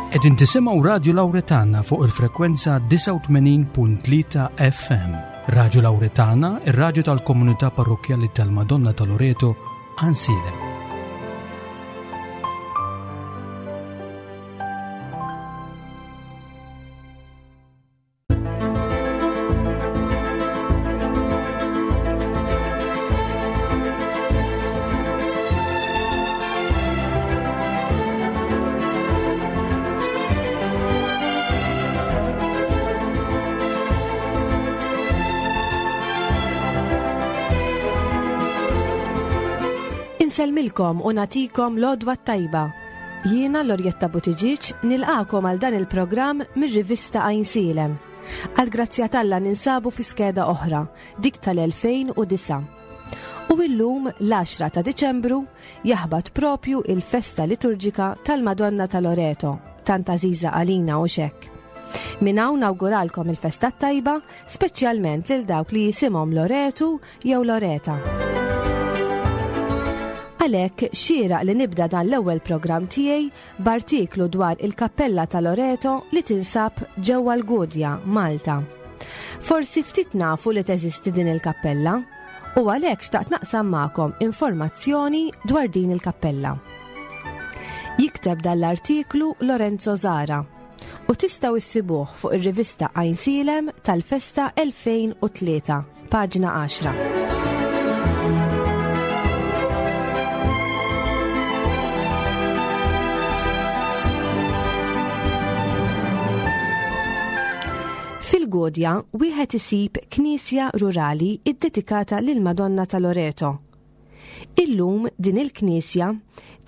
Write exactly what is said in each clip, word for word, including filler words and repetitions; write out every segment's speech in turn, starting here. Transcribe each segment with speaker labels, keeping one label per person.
Speaker 1: Qegħdin tisimgħu Radju Lawretana fuq il-frekwenza disgħa u tmenin punt tlieta F M. Radju Lawretana, ir-radju tal-Komunità Parrokkjali tal-Madonna ta' Loreto, Għajnsielem.
Speaker 2: Insellmilkom u nagħtikom l-għodwa t-tajba. Jiena Lorjetta Buttigieg nilqagħkom għal dan il-programm mir-rivista Għajnsielem. Għal grazzja t'Alla ninsabu fi skeda oħra, dik tal-elfejn u disgħa. U illum l-għaxra ta' Diċembru jaħbat propju il-festa liturġika tal-Madonna ta' Loreto, tant għażiża għalina u xek. Minn hawn nawguralkom il-festa tajba, speċjalment lil dawk li jisimhom Loretu jew Loreta. Għalhekk xieraq li nibda dan l-ewwel programm tiegħi b'artiklu dwar il-Kappella ta' Loreto li tinsab ġewwa l-Gudja, Malta. Forsi ftit nafu li teżisti din il-kappella u għalhekk xtaqt naqsam magħkom informazzjoni dwar din il-kappella. Jikteb dan l-artiklu Lorenzo Zara u tistgħu issibuh fuq ir-rivista Għajnsielem tal-Festa elfejn u tlieta, paġna għaxra. Fil-Gudja wieħed isib knisja rurali iddedikata lil Madonna ta' Loreto. Illum din il-knisja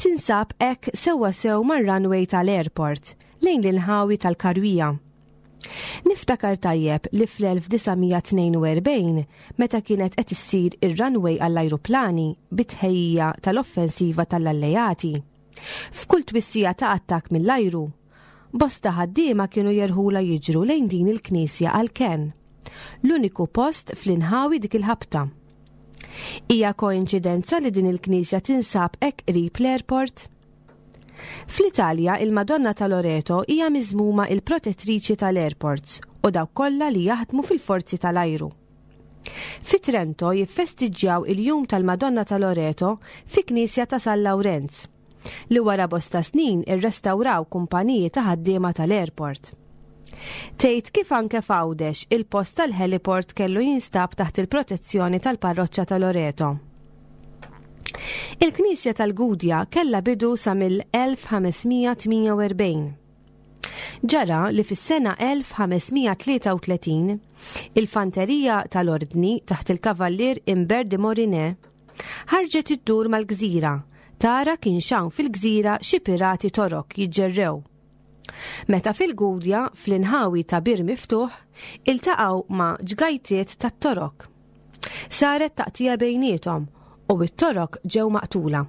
Speaker 2: tinsab hekk sewwa sew mar-runway tal-airport lejn l-inħawi tal-Karwija. Niftakar tajjeb li fl-elf disa' mija tnejn u erbgħin, meta kienet qed issir ir-runway għall-ajruplani bit-tħejjija tal-offensiva tal-alleati, f'kull twissija ta' attak mill-ajru, bosta ħaddiema kienu jerħula jiġru lejn din il-knisja għall-kenn. L-uniku post fl-inħawi dik il-ħabta. Hija koinċidenza li din il-knisja tinsab hekk qrib l-airport? Fl-Italja, il-Madonna ta' Loreto hija miżmuma il-protettriċi tal-airports u dawk kollha li jaħdmu fil-forzi tal-ajru. Fi Trento jiffestiġġjaw il-jum tal-Madonna ta' Loreto fi knisja ta' San Lawrenz, li wara bosta snin irrestawraw kumpaniji ta' ħaddiema tal-airport. Tgħid kif anke f'Għawdex il-post tal-heliport kellu jinstab taħt il-protezzjoni tal-parroċċa ta' Loreto. Il-Knisja tal-Gudja kella bidu sa mill-elf ħames mija tmienja u erbgħin. Ġara li fis-sena elf ħames mija tlieta u tletin il-fanterija tal-Ordni taħt il-Kavallier Imbert de Morinet ħarġet iddur mal-gżira tara kienx hawn fil-gżira xi pirati Torok jiġġerrew. Meta fil-Gudja, fl-inħawi ta' bir miftuħ, iltaqgħu ma' ġgajtiet tat-Torok. Saret taqtija bejniethom u it-Torok ġew maqtula.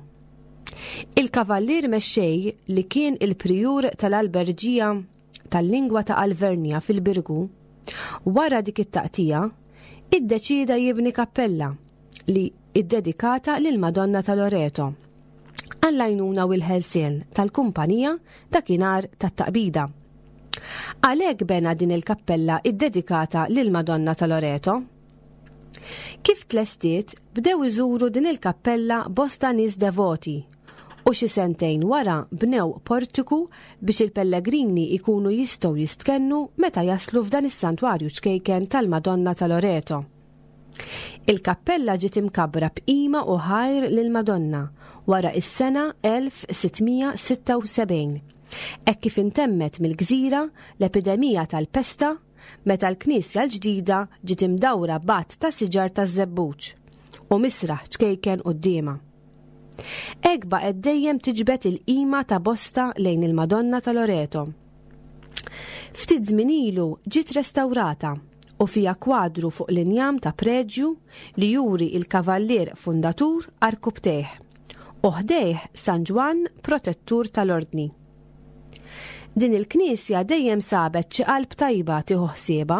Speaker 2: Il-kavallier mexxej, li kien il-prijur tal-alberġija tal-lingwa ta' Alvernja fil-Birgu, wara dik it-taqtija, iddeċida jibni kappella li iddedikata lil Madonna ta' Loreto għall-għajnuna u l-ħelsien tal-kumpanija dakinhar tat-taqbida. Għalhekk bena din il-kappella iddedikata lil Madonna ta' Loreto. Kif tlestiet, bdew iżuru din il-kappella bosta nies devoti u xi sentejn wara bnew portiku biex il-pellegrini ikunu jistgħu jistkennu meta jaslu f'dan is-santwarju ċkejken tal-Madonna ta' Loreto. Il-kappella ġiet imkabbra b'qima u ħajr lil Madonna wara is-sena elf sitt mija sitta u sebgħin. Hekk kif intemmet mill-gżira l-epidemija tal-pesta, meta l-knisja l-ġdida ġiet imdawra b'għadd ta' siġar taż-żebbuġ u misraħ ċkejken quddiemha. Hekk baqgħet dejjem tiġbed il-qima ta' bosta lejn il-Madonna ta' Loreto. Ftit żmien ilu ġiet restawrata u fija kwadru fuq l-injam ta' preġju li juri il-kavallier fundatur għarkupptejh u ħdejh San Ġwann, protettur tal-Ordni. Din il-knisja dejjem sabet xi qalb tajba tieħu ħsiebha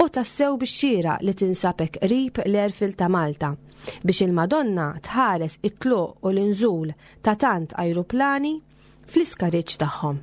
Speaker 2: u tassew bix-xieraq li tinsab hekk qrib l-airfield ta' Malta biex il-Madonna tħares it-tluq u l-inżul ta' tant ajruplani fl-iskariġġ tagħhom.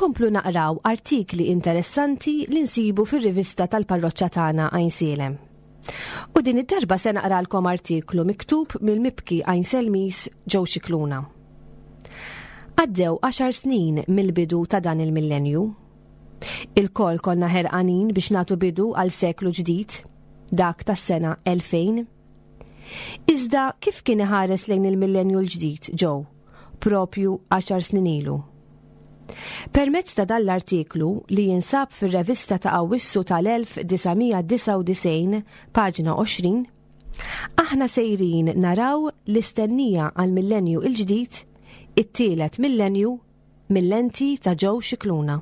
Speaker 2: Inkomplu naqraw artikli interessanti li nsibu fir-rivista tal-parroċċa tagħna Għajnsielem. U din id-darba se naqralkom artiklu miktub mill-mibki Għajnselmis Joe Scicluna. Għaddew għaxar snin mill-bidu ta' dan il-millenju. Il-koll konna ħerqanin biex nagħtu bidu għal seklu ġdid, dak tas-sena elfejn. Iżda kif kien iħares lejn il-millenju l-ġdid Joe, propju għaxar snin ilu? Permezz ta' dan l-artiklu li jinsab fir-revista ta' Awwissu tal-elf disa' mija disgħa u disgħin, paġna għoxrin, aħna sejrin naraw l-istennija għal millenju il-ġdid, it-tielet millenju, mill-lenti ta' Joe Scicluna.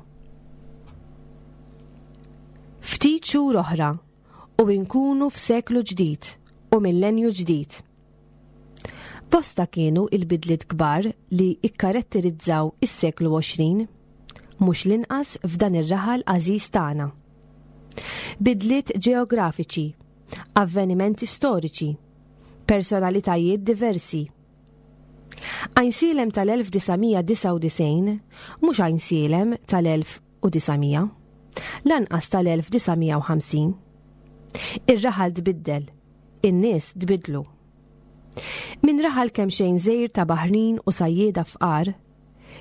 Speaker 2: Ftit xhur oħra u nkunu f'seklu ġdid u millenju ġdid. Bosta kienu il-bidliet kbar li ikkaratterizzaw is-seklu għoxrin, mhux l-inqas f'dan ir-raħal għażiż tagħna. Bidliet ġeografiċi, avvenimenti storiċi, personalitajiet diversi. Għajnsielem tal-elf disa' mija disgħa u disgħin mhux Għajnsielem tal-elf u disa' mija, lanqas tal-elf disa' mija u ħamsin. Ir-raħal tbiddel, in-nies tbiddlu. Min raħal kemm xejn żgħir ta' baħrin u sajjieda fqar,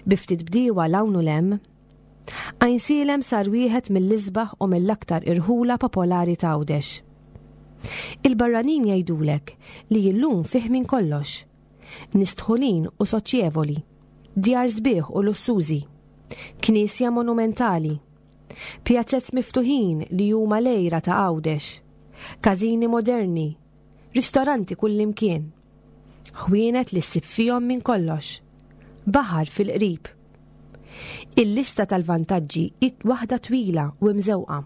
Speaker 2: bi ftit bdiewa 'l hawn u 'l hemm, Għajnsielem sar wieħed mill-isbaħ u mill-aktar irħula popolari ta' Għawdex. Il-barranin jgħidulek li illum fih minn kollox. Nies dħulin u soċjevoli, djar sbieħ u lussużi, knisja monumentali, pjazzez miftuħin li huma l-għira ta' Għawdex, każini moderni, ristoranti kullimkien, ħwienet li ssib fihom minn kollox, baħar fil-qrib. Il-lista tal-vantaġġi hi waħda twila u mżewqa.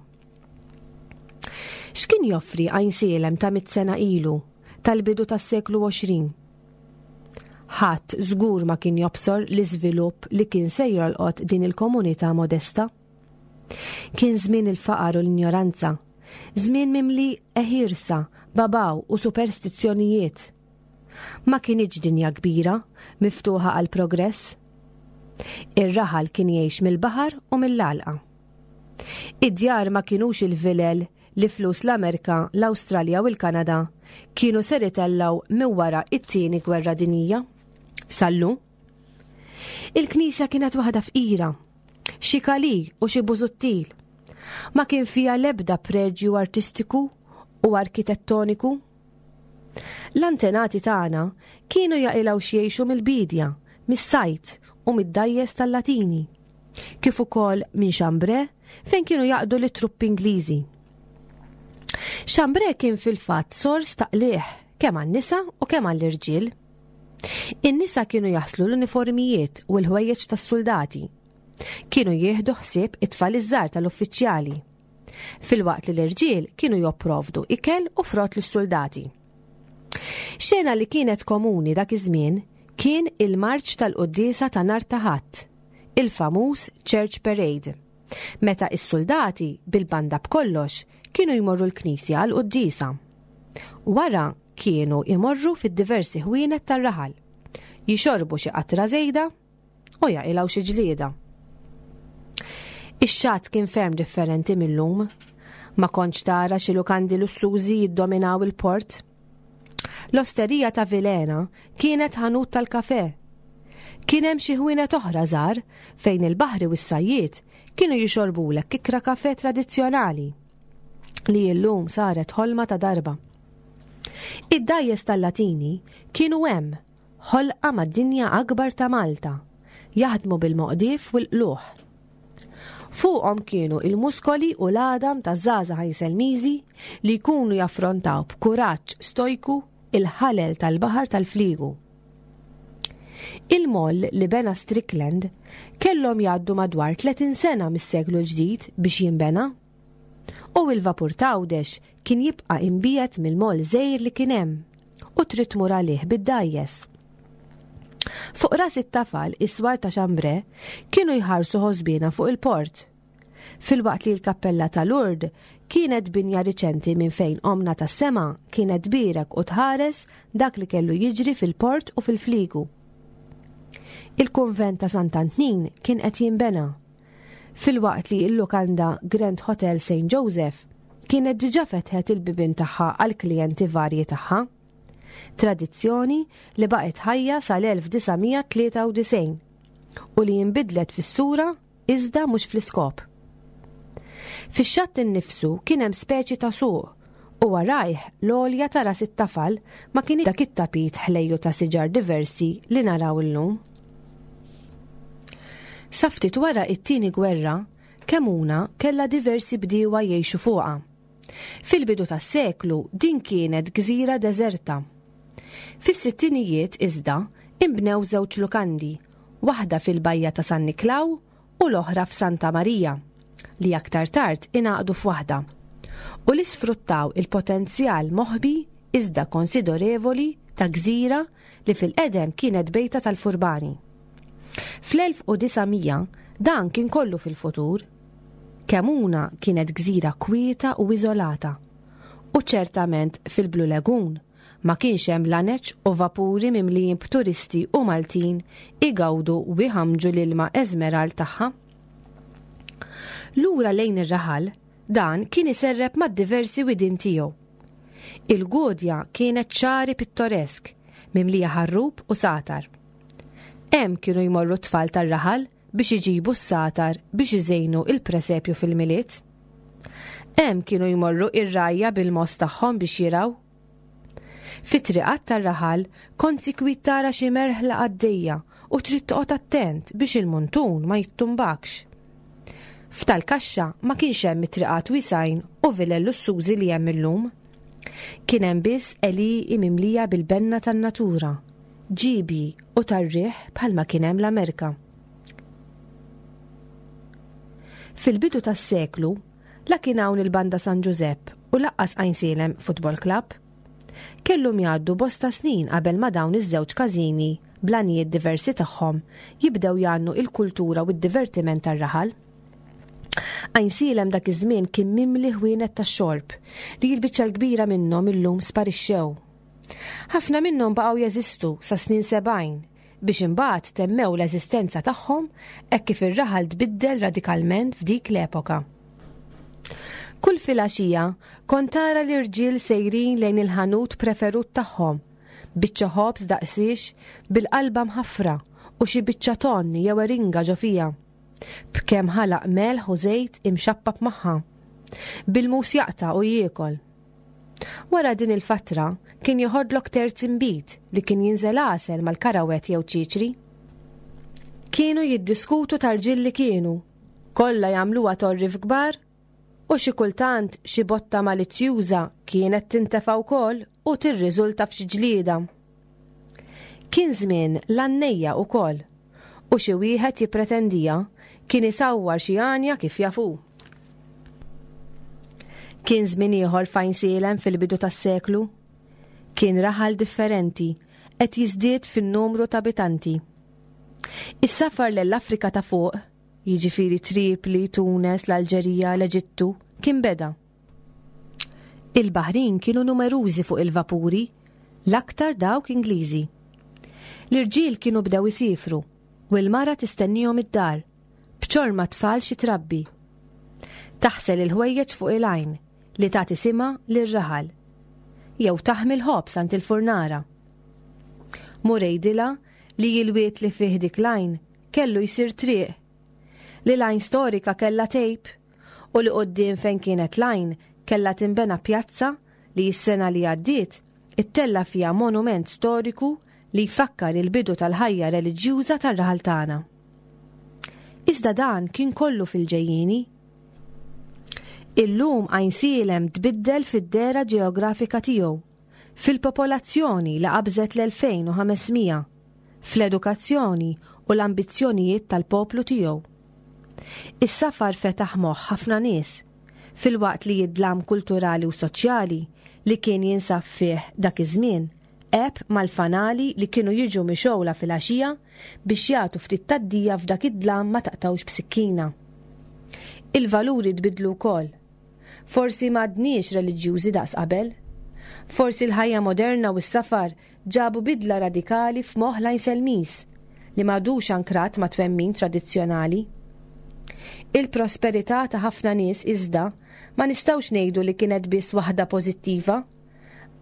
Speaker 2: X'kien joffri Għajnsielem ta' mitt sena ilu, tal-bidu tas-seklu għoxrin? Ħadd żgur ma kien jobsor l-iżvilupp li kien se jolqot din il-komunità modesta. Kien żmien il-faqar u l-injoranza, żmien mimli eħirsa, babaw u superstizzjonijiet. Ma kinitx dinja kbira, miftuħa għal progress. Ir-raħal kien jgħix mill-baħar u mill-għalqa. Id-djar ma kinux il-vilel li flus l-Amerika, l-Awstralja u l-Kanada kienu ser itellaw minn wara it-tieni gwerra dinjija. Sallu. Il-knisja kienet waħda fqira, xi kali u xi bużuttil. Ma kien fiha l-ebda preġju artistiku u arkitettoniku. L-antenati tagħna kienu jaqilgħu x'jgħixu mill-bidja, mis-sajt u mid-dajjes tal-Latini, kif ukoll minn Xambre fejn kienu jaqdu lit-truppi Ingliżi. Xambre kien fil-fatt sors ta' qligħ kemm għan-nisa u kemm għall-irġiel. In-nisa kienu jaħslu l-uniformijiet u l-ħwejjeġ tas-soldati. Kienu jieħdu ħsieb it-tfal iż-żgħar tal-uffiċjali. Filwaqt li l-irġiel kienu jopprovdu ikel u frott lis-soldati. Xena li kienet komuni dak iż-żmien kien il-marċ tal-quddiesa ta' nhar ta' Ħadd, il-famuż Church Parade, meta is-soldati bil-banda b'kollox kienu jmorru l-knisja għal quddiesa. Wara kienu imorru fid-diversi ħwienet tar-raħal, jixorbu xi qatra żejda u jaqilgħu xi ġlieda. Ix-xatt kien ferm differenti mill-lum. Ma kontx tara xi lukandi lussużi jiddominaw il-port. L-osterija ta' Vilena kienet ħanut tal-kafe. Kien hemm xi ħwienet oħra żgħar fejn il-baħri u s-sajjied kienu jixorbulek kikra kafe tradizzjonali li llum saret ħolma ta' darba. Id-dajjes tal-Latini kienu hemm ħolqa mad-dinja akbar ta' Malta, jaħdmu bil-moqdif u l-qluħ. Fuqhom kienu il-muskoli u l-għadam ta' żgħażagħ Għajnselmiżi li jkunu jaffrontaw b'kuraġġ stojku il-ħalel tal-baħar tal-fliegu. Il-moll li bena Strickland kellhom jgħaddu madwar tletin sena mis-seklu l-ġdid biex jinbena. U il-vapur t'Għawdex kien jibqa' imbiegħed mill-moll żgħir li kien hemm u trid tmur għalih bid-dajjes. Fuq ras it-tafal is-swar ta' Xambre kienu jħarsu ħosbina fuq il-port. Filwaqt li l-kappella ta' Lourdes kienet binja riċenti minn fejn omna tas-sema kienet tbierek u tħares dak li kellu jiġri fil-port u fil-fliegu. Il-kunvent ta' Sant'Antnin kien qed jinbena. Filwaqt li l-lukanda Grand Hotel Saint Joseph kienet diġà fetħet il-bibien tagħha għal klijenti varji tagħha. Tradizzjoni li baqgħet ħajja sal-elf disa' mija tlieta u disgħin u li jinbidlet fis-sura iżda mhux fl-iskop. Fix-xatt innifsu kien hemm speċi ta' suq u warajh l-għolja ta' ras it-tafal ma kien dak it-tapit ħlejju ta' siġar diversi li naraw illum. Sa ftit wara it-tieni gwerra, Kemmuna kellha diversi bdiewa jgħixu fuqha. Fil-bidu tas-seklu din kienet gżira deżerta. Fis-sittinijiet iżda inbnew żewġ lukandi, waħda fil-bajja ta' San Niklaw u l-oħra f'Santa Marija, li aktar tard ingħaqdu f'waħda, u li sfruttaw il-potenzjal moħbi iżda konsiderevoli ta' gżira li fil-qedem kienet bejta tal-furbani. Fl-elf u disa' mija dan kien kollu fil-futur. Kemmuna kienet gżira kwieta u iżolata, u ċertament fil-Blue Lagoon ma kienx hemm laneċ u vapuri mimlijin b'turisti u Maltin igawdu u iħamġu l-ilma eżmeral tagħha. Lura lejn ir-raħal, dan kien iserreb mad-diversi widien tiegħu. Il-Gudja kienet ċari pittoresk, mimlija ħarrub u satar. Hemm kienu jmorru t-tfal tar-raħal biex iġibu s-satar biex iżejnu il-presepju fil-Milied. Hemm kienu jmorru ir-rgħajja bil-mogħoż tagħhom biex jirgħu. Fit-triqat tar-raħal kont sikwit tara xi merħla għaddejja u trid toqgħod attent biex il-muntun ma jittumbakx. F'tal-kaxxa ma kienx hemm it-triqat wisgħin u vilel lussużi li hemm illum. Kien hemm biss għelieqi mimlija bil-benna tan-natura, ġibi u tar-riħ bħalma kien hemm l-Amerika. Fil-bidu tas-seklu, la kien hawn il-Banda San Ġużepp u lanqas Għajnsielem Football Club. Kellhom jgħaddu bosta snin qabel ma dawn iż-żewġ każini bl-għanijiet diversi tagħhom jibdew jgħannu il-kultura u d-divertiment tar-raħal. Għajnsielem dak iż-żmien kien mimli ħwienet tax-xorb li l-biċċa l-kbira minnhom illum sparixxew. Ħafna minnhom baqgħu jeżistu sa snin sebgħin biex imbagħad temmew l-eżistenza tagħhom hekk kif ir-raħal tbiddel radikalment f'dik l-epoka. Kull filgħaxija kont tara l-irġiel sejrin lejn il-ħanut preferut tagħhom, biċċa ħobż daqsiex bil-qalba mħaffra u xi biċċa tonn jew eringa ġo fiha, b'kemm ħalaq melħ u żejt imxappab magħha, bil-mus jaqta' u jiekol. Wara din il-fatra kien joħodlok terz inbid li kien jinżel għasel mal-karawet jew ċiċri. Kienu jiddiskutu tarġiel li kienu, kollha jagħmluha torri f'kbar, u xi kultant xi botta malizzjuża kienet tintefa' wkoll u tirriżulta f'xi ġlieda. Kien żmien l-għannejja wkoll, u xi wieħed jippretendija kien isawwar xi għanja kif jafu. Kien żmien ieħor f'Għajnsielem fil-bidu tas-seklu. Kien raħal differenti qed jiżdied fin-numru ta' abitanti. Is-safar lell-Afrika ta' fuq, jiġifieri Tripli, Tunes, l-Alġerija, l-Eġittu, kien beda. Il-baħrin kienu numerużi fuq il-vapuri, l-aktar dawk Ingliżi. L-irġiel kienu bdew isifru u l-mara tistennihom id-dar, b'ċorma tfal xi trabbi. Taħsel il-ħwejjeġ fuq il-għajn li tagħti simha lir-raħal, jew taħmi l-ħobż għand il-furnara. Mur għidilha li l-wied li fih dik l-għajn kellu jsir triq, li l-għajn storika kellha tejp u li quddiem fejn kienet l-għajn kellha tinbena pjazza li s-sena li għaddiet ittella fiha monument storiku li jfakkar il-bidu tal-ħajja reliġjuża tar-raħal tagħna. Iżda dan kien kollu fil-ġejjieni. Illum Għajnsielem tbiddel fid-dera ġeografika tiegħu, fil-popolazzjoni li qabżet l-elfejn u ħamesmija, fl-edukazzjoni u l-ambizzjonijiet tal-poplu tiegħu. Is-safar fetaħ moħħ ħafna nies, filwaqt li id-dlam kulturali u soċjali li kien jinsab fih dak iż-żmien għeb mal-fanali li kienu jiġu mixgħula fil-għaxija biex jagħtu ftit taddija f'dak id-dlam ma taqtawx b'sikkina. Il-valuri tbidlu wkoll. Forsi m'għadniex reliġjużi daqs qabel. Forsi l-ħajja moderna u s-safar ġabu bidla radikali f'moħħ l-Għajnselmis li m'għadux ankrat ma' twemmin tradizzjonali. Il-prosperità ta' ħafna nies iżda ma nistgħux ngħidu li kienet biss waħda pożittiva,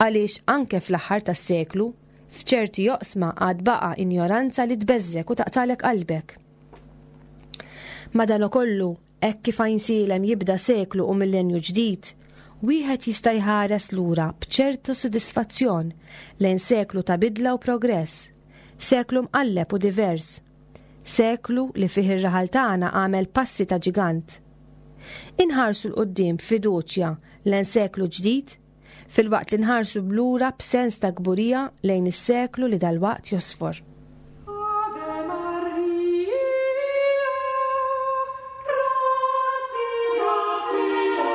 Speaker 2: għaliex anke fl-aħħar tas-seklu f'ċerti joqsma għad baqa' injoranza li tbeżżek u taqtalek qalbek. Madanakollu, hekk kif Għajnsielem jibda seklu u millenju ġdid, wieħed jista' jħares lura b'ċertu sodisfazzjon lejn seklu ta' bidla u progress, seklu mqalleb u divers, seklu li fih ir-raħal tagħna għamel passi ta' ġigant. Inħarsu 'l quddiem b'fiduċja lejn seklu ġdid, filwaqt li nħarsu blura b'sens ta' kburija lejn is-seklu li dalwaqt josfor.
Speaker 3: Ave Maria, gratia plena,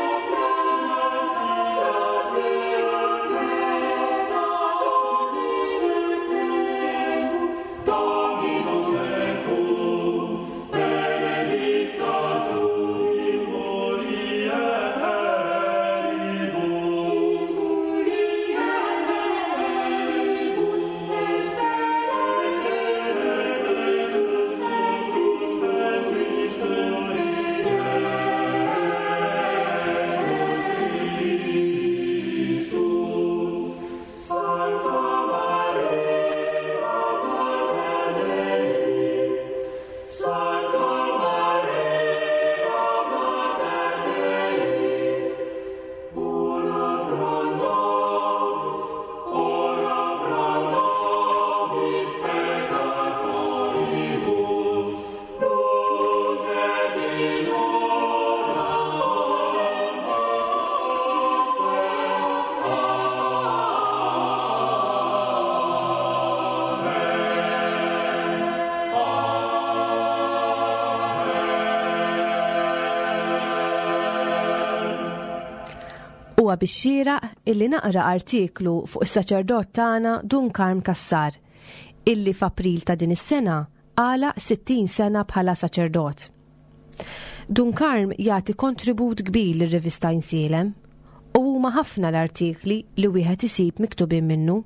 Speaker 3: Dominus tecum, Dominus tecum, benedicta tu in mulieribus, in mulieribus, et
Speaker 2: Huwa bix-xieraq illi naqra artiklu fuq is-saċerdot tagħna Dun Karm Cassar, illi f'April ta' din is-sena għalaq sittin sena bħala saċerdot. Dun Karm jagħti kontribut kbir lir-rivista Għajnsielem u huma ħafna l-artikli li wieħed isib miktubin minnu.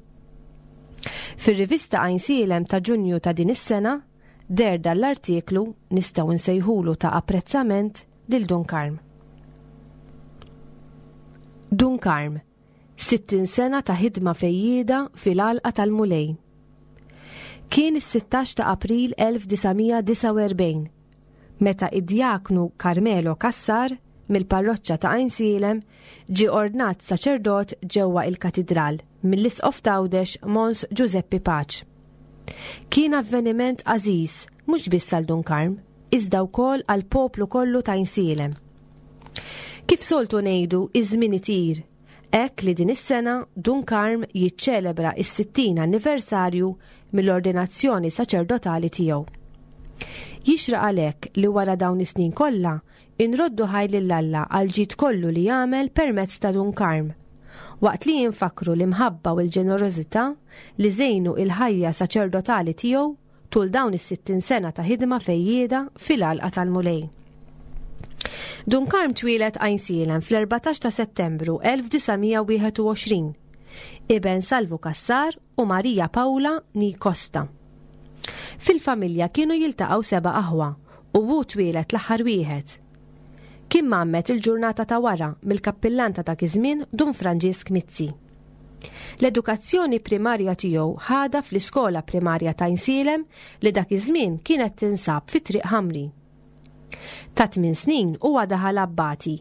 Speaker 2: Fir-rivista Għajnsielem ta' Ġunju ta' din is-sena deher dan l-artiklu nistgħu nsejħulu ta' apprezzament lil Dun Karm. Dun Karm, sittin sena ta' ħidma fejjieda fil-għalqa tal-Mulej. Kien is-sittax ta' April elf disa' mija disgħa u erbgħin, meta id-djaknu Carmelo Cassar mill-parroċċa ta' Għajnsielem ġie ordnat saċerdot ġewwa il-katidral mill-Isqof t'Għawdex Mons Giuseppe Pace. Kien avveniment għażiż mhux biss għal Dun Karm, iżda wkoll għal poplu kollu ta' Għajnsielem. Kif soltu ngħidu, iż-żmien itir, hekk li din is-sena Dun Karm jiċċelebra is-sittin anniversarju mill-ordinazzjoni saċerdotali tiegħu. Jixraq għalhekk li wara dawn is-snin kollha inroddu ħaj lil Alla għal ġid kollu li jagħmel permezz ta' Dun Karm, waqt li jinfakru l-imħabba u l-ġenerożità li żejnu il-ħajja saċerdotali tiegħu tul dawn is-sittin sena ta' ħidma fejjieda fil-għalqa tal-Mulej. Dun Karm twieled Għajnsielem fl-erbatax ta' Settembru elf disa' mija wieħed u għoxrin, iben Salvu Cassar u Maria Paula Ni Costa. Fil-familja kienu jiltaqgħu seba' aħwa u hu twieled l-aħħar wieħed. Kien mgħammed il-ġurnata ta' wara mill-kappillan ta' dak iż-żmien Dun Franġisk Mizzi. L-edukazzjoni primarja tiegħu ħadha fl-iskola primarja ta' Għajnsielem li dak iż-żmien kienet tinsab fi Triq Ħamri. Ta' tmien snin huwa daħal abbati,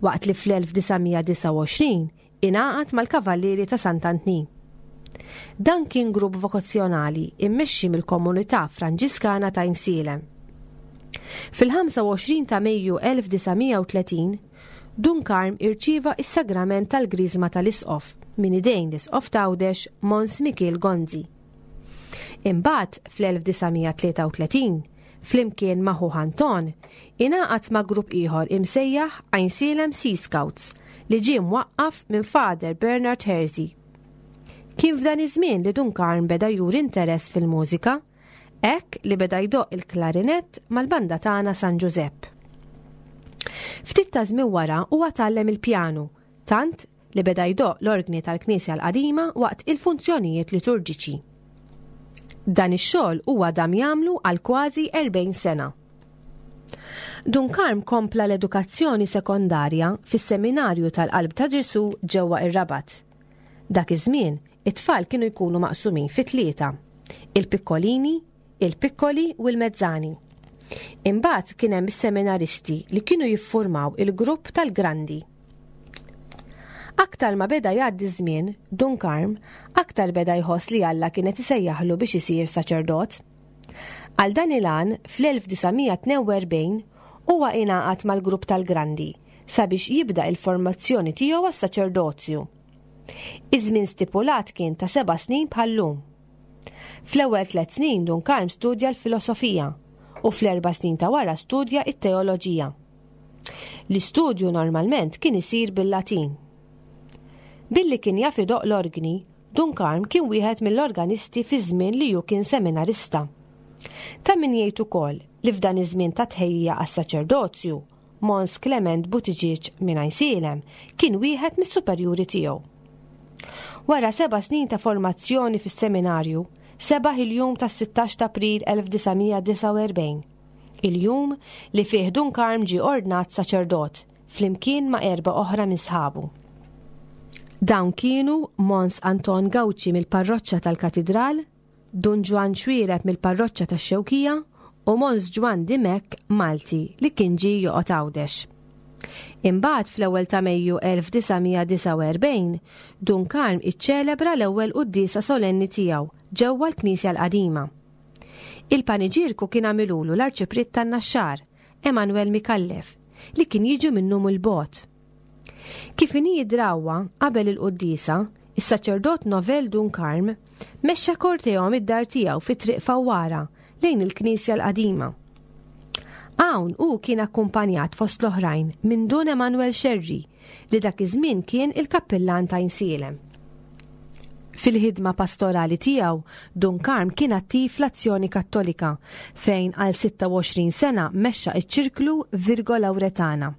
Speaker 2: waqt li fl-elf disa' mija disgħa u għoxrin ingħaqad mal-Kavallieri ta' Sant'Antnin. Dan kien grupp vokazzjonali immexxi mill-komunità Franġiskana ta' Għajnsielem. Fil-ħamsa u għoxrin ta' Mejju elf disa' mija u tletin, Dun Karm irċieva is-sagrament tal-Griżma tal-Isqof minn idejn l-Isqof t'Għawdex Mons Mikiel Gonzi. Imbagħad fl-elf disa' mija tlieta u tletin, flimkien ma' ħuh Anton, ingħaqad ma' grupp ieħor imsejjaħ Għajnsielem Sea Scouts li ġie mwaqqaf minn Father Bernard Hersey. Kien f'dan iż-żmien li Dun Karm beda juri interess fil-mużika, hekk li beda jdoqq il-klarinett mal-banda tagħna San Ġużepp. Ftit ta' żmien wara huwa tgħallem il-pjanu, tant li beda jdoqq l-orgni tal-Knisja l-Qadima waqt il-funzjonijiet liturġiċi. Dan ix-xogħol huwa dam jagħmlu għal kważi erbgħin sena. Dun Karm kompla l-edukazzjoni sekondarja fis-Seminarju tal-Qalb ta' Ġesu ġewwa ir-Rabat. Dak iż-żmien, it-tfal kienu jkunu maqsumin fi tlieta: il-pikkolini, il-pikkoli u l-mezzani. Imbagħad kien hemm is-seminaristi li kienu jiffurmaw il-grupp tal-Grandi. Aktar ma beda jgħaddi żmien, Dun Karm aktar beda jħoss li Alla kienet isejjaħlu biex isir saċerdot. Għal dan il-għan, fl-elf disa' mija tnejn u erbgħin, huwa ingħaqad mal-grupp tal-Grandi sabiex jibda il-formazzjoni tiegħu għas-saċerdozju. Iż-żmien stipulat kien ta' seba' snin bħal-lum. Fl-ewwel tliet snin Dun Karm studja l-filosofija u fl-erba' snin ta' wara studja it-teoloġija. L-istudju normalment kien isir bil-Latin. Billi kien jaf idoqq l-orgni, Dun Karm kien wieħed mill-organisti fi żmien li hu kien seminarista. Ta' min jgħid ukoll li f'dan iż-żmien ta' tħejjija għas-saċerdozju, Mons Clement Buttigieg minn Għajnsielem kien wieħed mis-superjuri tiegħu. Wara seba' snin ta' formazzjoni fis-seminarju, sebaħ il-jum tas-sittax ta' April elf disa' mija disgħa u erbgħin, il-jum li fih Dun Karm ġie ordnat saċerdot flimkien ma' erba' oħra minn sħabu. Dawn kienu Mons Anton Gauci mill-parroċċa tal-Katidral, Dun Ġwann Xuereb mill-parroċċa tax-Xewkija u Mons Ġwann Dimech Malti li kien ġie joqgħod Għawdex. Imbagħad fl-ewwel ta' Mejju elf disa' mija disgħa u erbgħin, Dun Karm iċċelebra l-ewwel quddiesa solenni tiegħu ġewwa l-Knisja l-Qadima. Il-paniġierku kien għamilulu l-Arċipriet tan-Naxxar, Emanuel Micallef, li kien jiġu minnu mill-bogħod. Kif inhi drawwa qabel il-quddiesa, is-saċerdot Novel Dun Karm mexxa korteo mid-dar tiegħu fi Triq Fawwara lejn il-Knisja l-Qadima. Hawn hu kien akkumpanjat fost l-oħrajn minn Dun Emanuel Scerri li dak iż-żmien kien il-kappillan ta' Għajnsielem. Fil-ħidma pastorali tiegħu, Dun Karm kien attiv fl-Azzjoni Kattolika fejn għal sitta u għoxrin sena mexxa iċ-ċirklu Virgo Lauretana.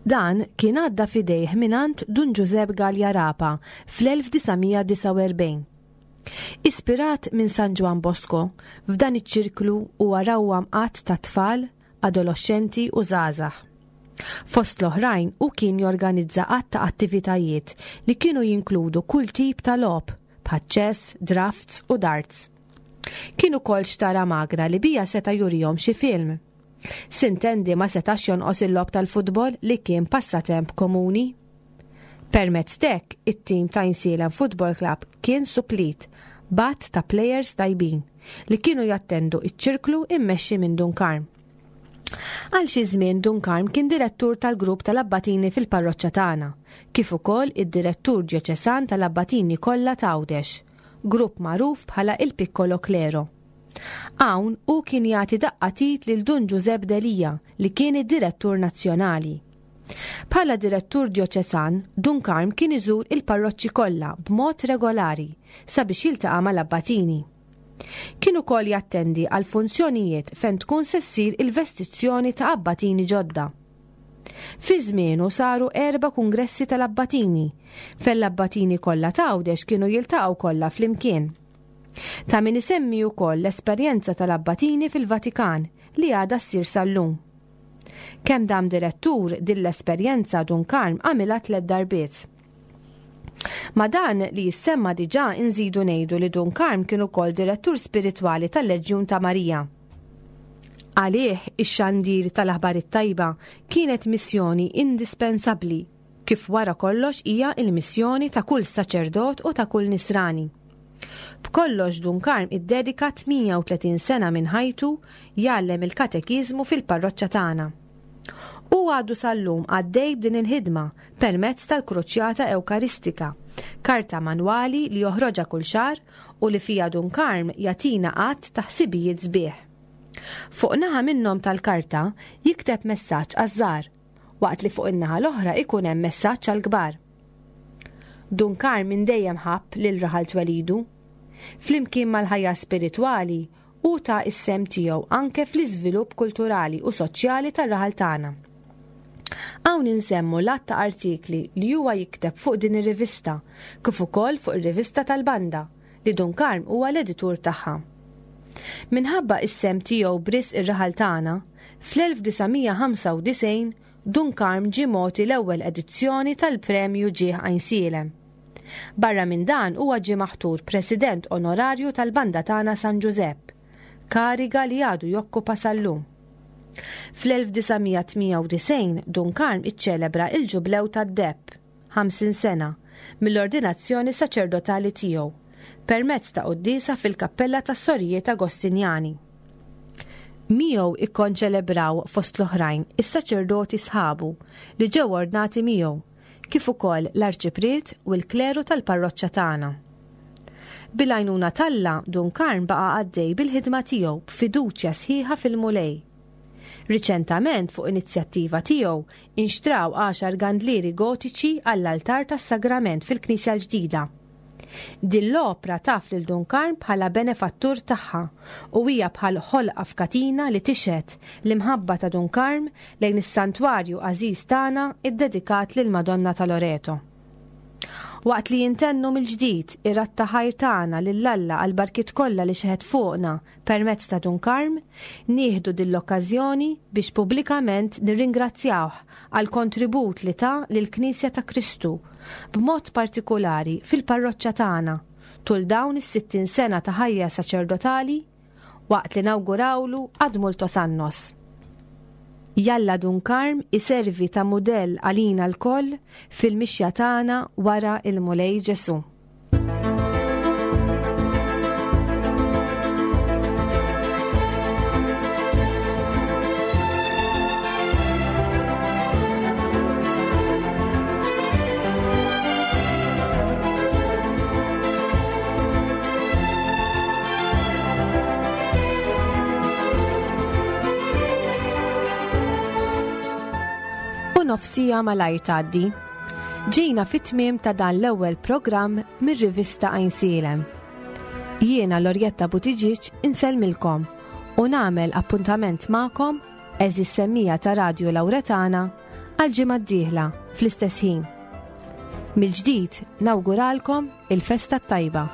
Speaker 2: Dan kien għadda f'idejh mingħand Dun Ġużepp Galea Rapa fl-elf disa' mija disgħa u erbgħin. Ispirat minn San Ġwann Bosco, f'dan iċ-ċirklu huwa rawwam qatt ta' tfal, adolescenti u żgħażagħ. Fost l-oħrajn u kien jorganizza għadd ta' attivitajiet li kienu jinkludu kull tip ta' logħob, bħal chess, drafts u darts. Kien ukoll xtara magna li bija seta' jurihom xi film. Sintendi ma setax jonqos il-logħob tal-futbol li kien passatemp komuni. Permezz t'hekk, it-tim ta' Għajnsielem Football Club kien suplit b'għadd ta' plejers tajbin li kienu jattendu iċ-ċirklu immexxi minn Dun Karm. Għal xi żmien Dun Karm kien direttur tal-grupp tal-Abbatini fil-parroċċa tagħna, kif ukoll id-direttur djoċesan tal-Abbatini kollha ta' Għawdex, grupp magħruf bħala il-Piccolo Clero. Hawn hu kien jagħti daqqa tit lil Dun Ġużepp Delia li kien id-direttur nazzjonali. Bħala direttur djoċesan, Dun Karm kien iżur il-parroċċi kollha b'mod regolari sabiex jiltaqa' mal-Abbatini. Kien ukoll jattendi għal funzjonijiet fejn tkun se ssir il-vestizzjoni ta' abbatini ġodda. Fi żmienu saru erba' kungressi tal-abbatini, fejn l-abbatini kollha ta' Għawdex kienu jiltaqgħu kollha flimkien. Ta' min isemmi wkoll l-esperjenza tal-abbatini fil-Vatikan li għadha ssir sal-lum. Kemm dam direttur din l-esperjenza Dun Karm għamilha tliet darbiet. Ma dan li jissemma diġà inżidu ngħidu li Dun Karm kien ukoll direttur spiritwali tal-Leġjun ta' Marija. Għalih ix-xandir tal-aħbar it-tajba kienet missjoni indispensabbli, kif wara kollox hija l-missjoni ta' kull saċerdot u ta' kull nisrani. B'kollox Dun Karm iddedika tmienja u tletin sena minn ħajtu jgħallem il-katekiżmu fil-parroċċa tagħna. U għadu sal-lum għaddej b'din il-ħidma permezz tal-Kruċjata Ewkaristika, karta manwali li joħroġha kull xahar u li fija Dun Karm jagħtina għadd ta' ħsibijiet sbieħ. Fuq naħa minnhom tal-karta jikteb messaġġ għaż-żgħar, waqt li fuq in-naħa l-oħra ikun hemm messaġġ għall-kbar. Dun Karm minn dejjem ħabb lil raħal twelidu. Flimkien mal-ħajja spiritwali u ta' is-sem tiegħu anke fl-iżvilupp kulturali u soċjali tar-raħal tagħna. Hawn insemmu l-għadd ta' artikli li huwa jikteb fuq din ir-rivista, kif ukoll fuq ir-rivista tal-banda li Dun Karm huwa l-editur tagħha. Minħabba is-sem tiegħu b'risq ir-raħal tagħna, fl-elf disa' mija ħamsa u disgħin Dun Karm ġie mogħti l-ewwel edizzjoni tal-Premju Ġieħ Għajnsielem. Barra minn dan huwa ġie maħtur President Onorarju tal-Banda tagħna San Ġużepp, kariga li għadu jokkupa sal-lum. Fl-elf disa' mija tmienja u disgħin Dun Karm iċċelebra il-ġublew tad-deheb, ħamsin sena, mill-ordinazzjoni saċerdotali tiegħu, permezz ta' quddiesa fil-kappella tas-Sorijiet Agostinjani. Miegħu ikkonċelebraw fost l-oħrajn is-saċerdoti sħabu li ġew ordnati miegħu, kif ukoll l-arċipriet u l-kleru tal-parroċċa tagħna. Bil-għajnuna t'Alla, Dun Karm baqa' għaddej bil-ħidma tiegħu b'fiduċja sħiħa fil-Mulej. Riċentament, fuq inizjattiva tiegħu, inxtraw għaxar gandlieri gotiċi għall-altar tas-Sagrament fil-Knisja l-ġdida. Din l-opra taf lil Dun Karm bħala benefattur tagħha u hija bħal ħolqa f'katina li tixhed l-imħabba ta' Dun Karm lejn is-santwarju għażiż tagħna iddedikat lil Madonna ta' Loreto. Waqt li jintennu mill-ġdid ir-radd ta' ħajr tagħna lil Alla għal barkiet kollha li xeħet fuqna permezz ta' Dun Karm, nieħdu din l-okkażjoni biex pubblikament nirringrazzjawh għal kontribut li ta lill-Knisja ta' Kristu, b'mod partikolari fil-parroċċa tagħna tul dawn is-sittin sena ta' ħajja saċerdotali, waqt li nawgurawlu ad multos annos. Jalla Dun Karm iservi ta' mudell għalina lkoll fil-mixja tagħna wara il-Mulej Ġesu. U Nofs siegħa malajr tgħaddi. Ġejna fit-tmiem ta' dan l-ewwel programm mir-rivista Għajnsielem. Jiena Lorjetta Buttigieg insellmilkom u nagħmel appuntament magħkom, għeżież semmiegħa ta' Radju Lawretana, għal ġimgħa d-dieħla fl-istess ħin. Mill-ġdid nawguralkom il-festa tajba.